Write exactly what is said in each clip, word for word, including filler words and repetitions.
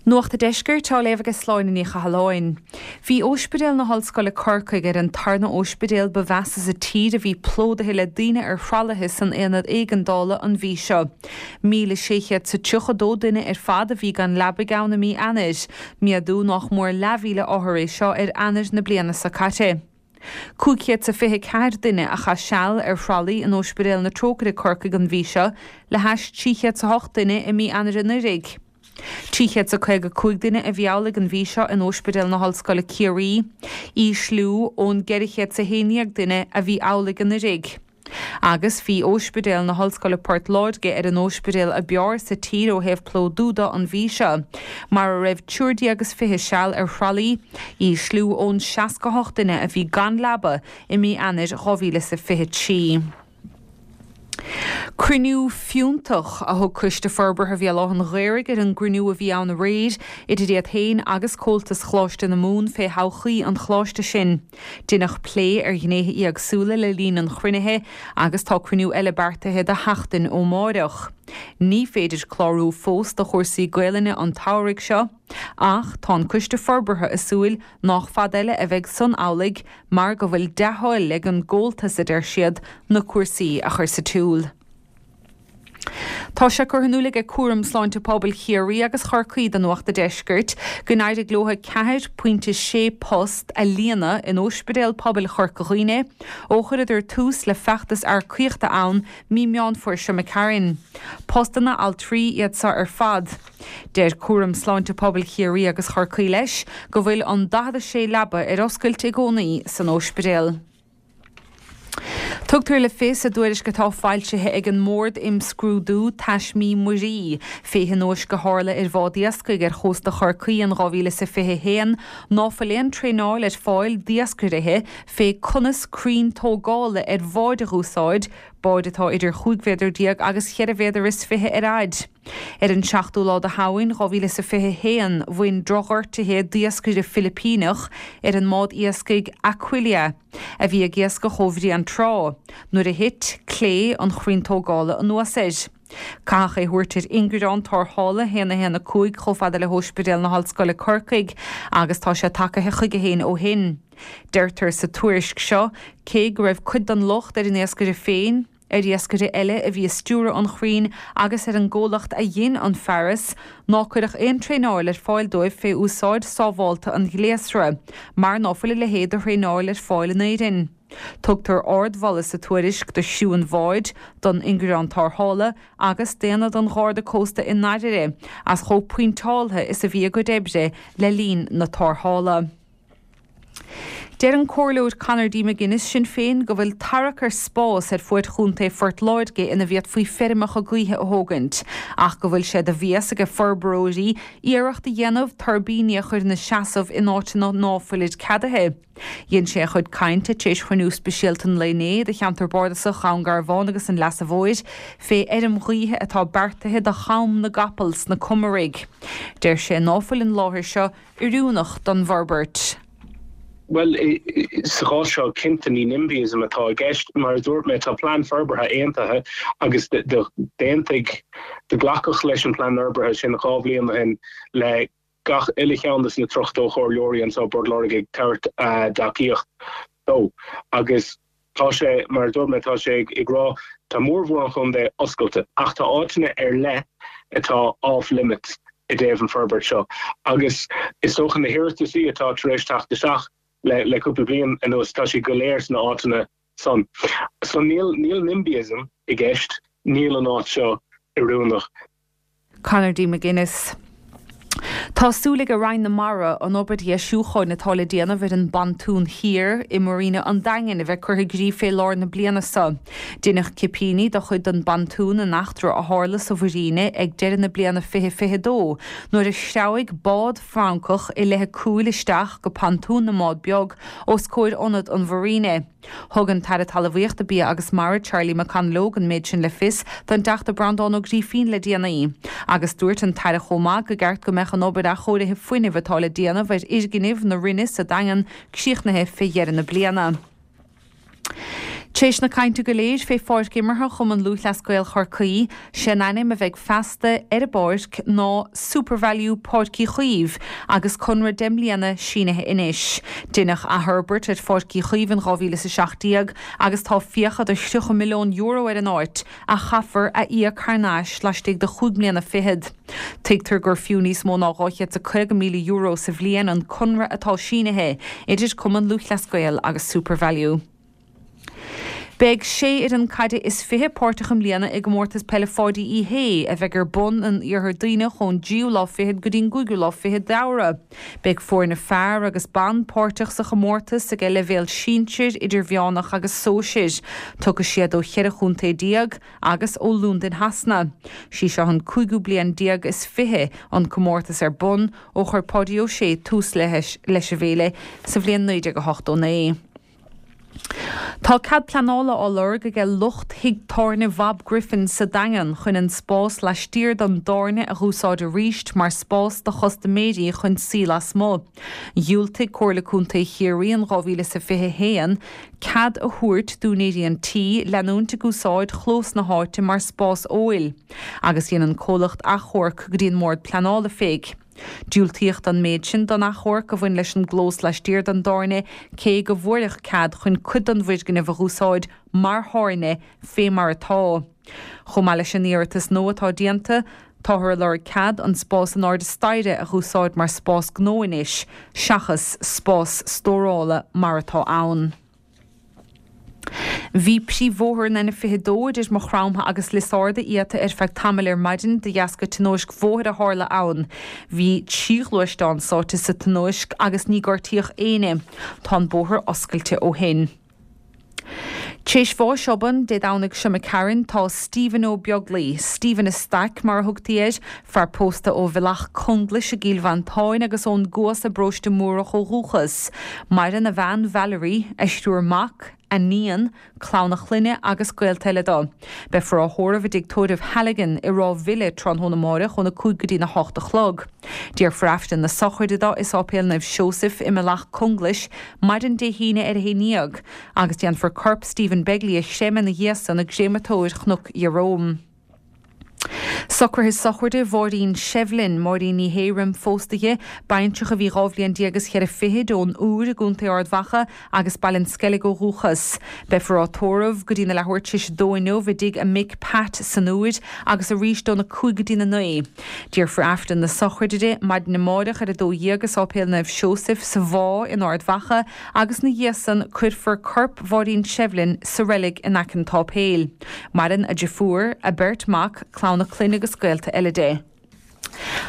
Nuacht an Deiscirt á léamh ag Sláine Ní Chathalláin. Bhí Ospidéal na hOllscoile Corcaigh ar an tarna ospidéal ba mheasa sa tír a bhí plódaithe le daoine ar thralaithe san aonad éigeandála an mhí seo. Míle sé chéad is tríocha dó duine ar fad a bhí gan leabaidh ann i mí Eanáir, méadú nach mór leathmhíle othar é seo ar Eanáir na bliana seo caite. Cúig chéad is fiche ceathair duine a chaith seal ar thralaí in Ospidéal na Trócaire Corcaigh an mhí seo le hais trí chéad is a hocht duine i mí Eanáir anuraidh. Trí chéad is caoga cúig duine a bhí amhlaidh an mhí seo in Ospidéal na hOllscoile Ciarraí, ísliú ón gceithre chéad is a haon déag duine a bhí amhlaidh anuraidh. Agus bhí Ospidéal na hOllscoile Port Láirge ar an ospidéal ab fhearr sa tír ó thaobh plódú de an mhí seo, mar a raibh triúr déag is fiche seal ar thralaí, ísliú ón seasca hocht duine a bhí gan leaba i mí Eanáir dhá mhíle is a fiche trí. Cruinniú fiúntach a thug Coiste Forbartha Bhéal Átha an Ghaorthaidh ar an gcruinniú a bhí ann aréir idir iad féin agus Comhaltas Choláiste na Mumhan fé thodhchaí an choláiste sin. Deineadh plé ar ghnéithe éagsúla le linn an chruinnithe agus tá cruinniú eile beartaithe do sheachtain ó mháireach. Ní féidir clárú fós do chúrsaí Gaelainne an tsamhraidh seo, ach tá an Coiste Forbartha ag súil nách fada eile a bheidh san amhlaidh mar go bhfuil dea-thoil ag an gComhaltas, a deir siad, na cúrsaí a chur sa tsiúl. Tá sé curtha in iúl ag Cúram Sláinte Pobail Chiarraí agus Chorcaí do Nuacht an Deiscirt go n-éirigh leo ceathair pointe sé post a líonadh in Ospidéal Pobail Chorca Dhuibhne ó chuireadar tús le feachtas earcaíochta ann mí Meán Fómhair seo imigh tharainn. Postanna altraí iad seo ar fad. Deir Cúram Sláinte Pobail Chiarraí agus Chorcaí leis go bhfuil an daichead a sé leaba ar oscailt i gcónaí san ospidéal. Tugtar le fios i dtuairisc atá foilsithe ag an mBord Imscrúdú Taismí Muirí fé thionóisc a tharla ar bhád iascaigh ar chósta Chorcaí in dhá mhíle is a fiche haon ná fuil aon traenáil ar fáil d'iascairithe fé conas crainn tógála ar bháid a dh'úsáid, báid atá idir chúig mhéadar déag agus cheithre mhéadar is fiche ar fhaid. Ar an seachtú lá de Shamhain dhá mhíle is a fiche haon, bhain drochghortuithe d'iascaire Filipíneach ar an mbád iascaigh Aquilia, a bhí ag iascach ó Bhréan Trá, nuair a thit clé an chrainn tógála anuas air. Caitheadh é thabhairt ar ingearán tarrthála haon a haon a cúig chomh fada le hOspidéal na hOllscoile Corcaigh agus tá sé tagaithe chuige féin ó shin. Deirtear sa tuairisc seo, cé go raibh cuid den locht ar an iascaire féin, ar iascaire eile a bhí ag stiúradh an chrainn agus ar an gcomhlacht a dhein an fearas, ná cuireadh aon traenáil ar fáil dóibh fé úsáid sábhálta an ghléasra, mar ná fuil a leithéid de thraenáil ar fáil in Éirinn. Tugtar ardmholadh sa tuairisc do chriú an bháid, don ingearán tarrthála agus d'aonad an Gharda Cósta i nDairire as chomh pointeáltha is a bhí a gcuid oibre le linn na tarrthála. Deir an Comhairleoir Conor D. McGuinness, Sinn Féin, go bhfuil tarrac ar spás ar fuaid Chontae Phort Láirge ina bhféadfaí feirmeacha gaoithe a thógaint, ach go bhfuil sé de bhéas ag forbróirí iarracht a dhéanamh tuirbíní a chur ina seasamh in áiteanna ná fuilid ceadaithe. Dhein sé a chuid cainte tar éis chruinniú speisialta an lae inné de cheantar bardasach Dhún Garbhán agus an Leasa Mhóir fé fheirm ghaoithe atá beartaithe do Cham na gCapall sna Comaraigh. Deir sé ná fuil an láthair seo oiriúnach don bhforbairt. Bhuel, sa chás seo, cinnte ní NIMBYism atá i gceist. Mar a dúirt mé, tá plean forbartha aontaithe agus d'aontaigh, do glacadh leis an bplean forbartha sin dhá bhliain ó shin le gach uile cheann de na tríocha dó chomhairleoirí anseo i bPort Láirge ag tabhairt a dtacaíocht dó. Agus tá sé, mar a dúirt mé, tá sé ag rá, tá mórmhór an chontae oscailte ach tá áiteanna ar leith atá off limits i dtaobh an forbairt seo agus is dócha na hiarrataisí atá tar éis teacht isteach le le cúpla bliain anuas tá siad go léir sna áiteanna san. So níl níl NIMBYism i gceist, níl an áit seo oiriúnach. Conor D. McGuinness. Tá súil ag Roinn na Mara an obair dheisiúcháin atá le déanamh ar an bPontún Thiar i Marina an Daingin a bheith curtha i gcrích fé lár na bliana seo. Deineadh cipíní de chuid den bpontún in eachtra a tharla sa mhuiríne ag deireadh na bliana fiche fiche dó nuair a threabhaigh bád Francach i leith a cúil isteach go pontún na mbád beag os comhair ionad an mhuiríne. Thug an tAire Talmhaíochta, Bia agus Mara Charlie McConalogue an méid sin le fios don dTeachta Breandán Ó Grífín le déanaí agus dúirt an tAire chomh maith go gceart go mbeadh an obair athchóirithe fuinnimh atá le déanamh ar fhoirgnimh na Roinne sa Daingean críochnaithe fé dheireadh na bliana. Tréis na cainte go léir fé pháirc imeartha Chumann Lúthchleas Gael Chorcaí, sé'n ainm a bheidh feasta ar an bpáirc ná SuperValu Páirc Uí Chaoimh agus conradh deich mbliana sínithe anois. Deineadh athfhorbairt ar Pháirc Uí Chaoimh in dhá mhíle is a seacht déag agus tá fiacha de thríocha milliún euro ar an áit a chaithfear a íoc thar n-ais laistigh de chúig mbliana fichead. Tuigtear gur fiú níos mó ná dhá chéad is a caoga míle euro sa bhliain an conradh atá sínithe idir Cumann Lúthchleas Gael agus SuperValu. Beidh sé fhoireann caide is fiche páirteach i mbliana i gComórtas Peile Pháidí Uí Shé, a bheidh ar bun in Iarthar Duibhneach ón dtríú lá fichead go dtí an gcúigiú lá fichead d'Fheabhra. Beidh foirne fear agus ban páirteach sa chomórtas ag leibhéal sinsir, idirmheánach agus sóisir. Tiocfaidh siad ó cheithre chontae déag agus ó Londain Shasana. Sí seo an cúigiú bliain déag is fiche an comórtas ar bun ó chuir Páidí Ó Sé tús leis an bhféile sa bhliain naoi déag a hochtó naoi. Tá cead pleanála á lorg aige lucht thigh tábhairne Bhob Griffin sa Daingean chun an spás laistiar den dtábhairne a dh'úsáid arís mar spás do chustaiméirí chun suí lasmuigh. Dhiúltaigh Comhairle Contae Chiarraí in dhá mhíle is a fiche a haon cead a thabhairt d'úinéirí an tí leanúint ag úsáid chlós na háite mar spás óil agus dhein an comhlacht achomharc go dtí an mBord Pleanála fé. Diúltaíodh don méid sin don achomharc a bhain leis an gclós laistiar den dtábhairne, cé go bhfuaireadh cead chun cuid den bhfoirgneamh a dh'úsáid mar thábhairne fé mar atá. Chomh maith leis an iarratas nua atá déanta, táthar ag lorg cead an spás in airde staighre a dh'úsáid mar spás gnó anois, seachas spás stórála mar atá ann. Bhí príomhbhóthar an N fiche dó idir Maigh Chromtha agus Lios Arda iata ar feadh tamaill ar maidin de dheasca tionóisc bhóthair a tharla ann. Bhí trí ghluaisteán sáite sa tionóisc agus ní gortaíodh éinne. Tá an bóthar oscailte ó shin. Tréis bháis obann Dé Domhnaigh seo imigh tharainn tá Stephen Ó Beaglaoi, Stephen a' Staic mar a thugtaí air, fear pósta ó Bhealach Conglais i gCill Mhantáin agus ón gCuas i bparóiste Múrach ó dhúchas. Maireann a bhean Valerie, a thriúr mac, a níon, clann a chlainne agus gaolta eile dó. Beifear á thórramh i dtigh tórraimh Halligan i Ráth Bhile tráthnóna amáireach óna cúig go dtína hocht a chlog. Déarfar Aifreann na sochraide dó i Sáipéal Naomh Seosaimh i mBealach Conglais maidin Dé hAoine ar a haon dhéag agus déanfar corp Stephen Begley a chreimeadh ina dhiaidh san i gcréamatóir Chnoc Ieróm. Socruithe sochraide Mháirín Shevlin, Máirín Ní Shé roim phósadh di, baintreach a bhí dhá bhliain déag is cheithre fichid ón Iúr i gContae Ard Mhacha agus Baile an Sceilg ó dhúchas. Beifear á tórramh go dtína leathuair tar éis a dó inniu i dtigh a mic Pat san Iúr agus arís óna cúig go dtína naoi. Déarfar Aifreann na sochraide di maidin amáireach ar a dó dhéag i Sáipéal Naomh Seosaimh sa Mhá in Ard Mhacha agus 'na dhiaidh san cuirfear corp Mháirín Shevlin sa reilig in aice an tsáipéil. Maireann a deirfiúr, a beirt mac, clann a clainne agus gaolta eile di.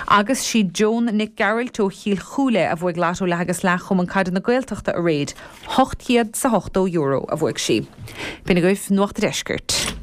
Agus sí Joan Nic Gearailt ó Chill Chúile a bhuaigh Lotto Leath agus Leath Chumann Caide na Gaeltachta aréir. Ocht chéad 's a hochtó euro a bhuaigh sí. B'in agaibh Nuacht a' Deiscirt.